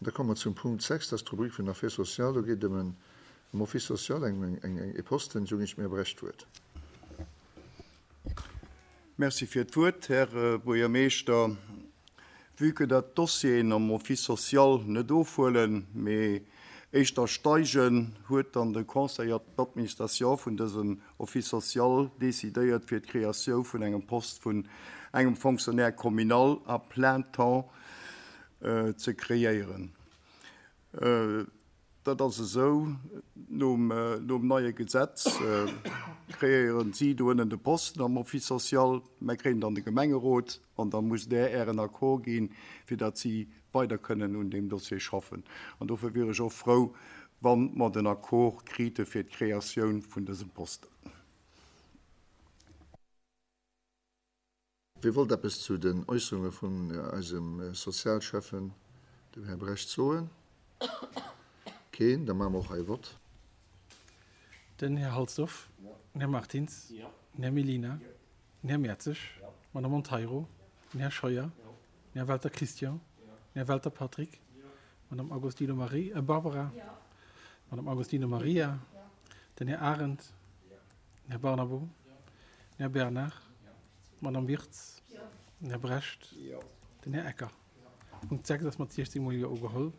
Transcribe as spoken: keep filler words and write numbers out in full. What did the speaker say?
Da komme mer zum Punkt sechs, dat ass d'Rubrik vun den Affaires sociales. Do geet et ëm en, ëm Office social, eng, eng, eng, e Posten. Ech hunn dem Här Brecht d'Wuert. Merci fir d'Wuert, Här Buergermeeschter. Vue que dat d'Dossieren am Office social net ofhuelen, mee éischter steigen, huet dann de Conseil d'administration vun dësem Office social decidéiert fir d'Kreatioun vun engem Post vun engem Fonctionnaire communal à plein temps ze kreéieren. Dat ass esou, nom, nom neie Gesetz kreéieren si do ënnen de Posten am Office social, mer kréien dann de Gemengerot an da musst Der Ären Accord ginn, fir datt si weider kënnen un deem Dossier schaffen. An dofir wier ech och frou, wann mer den Accord krite fir d'Kreatioun vun dësem Posten. Wie wollt eppes zu den Äusserunge vun eisem Sozialschäffen, dem Här Brecht, soen? Keen? Da maache mer och hei e Vott. Den Här Halsdorf, den Här Martins, den Här Mellina, den Här Mertzig, d'Madame Monteiro, den Här Scheuer, den Här Welter Christian, den Här Welter Patrick, d'Madame Agostino Marie, äh, Barbara, d'Madame Agostino Maria, den Här Arendt, den Här Barnabo, den Här Bernard, d'Madame Wirtz, den Här Brecht, den Här Ecker. Punkt sechs ass mat siechzéng mol Jo ugeholl.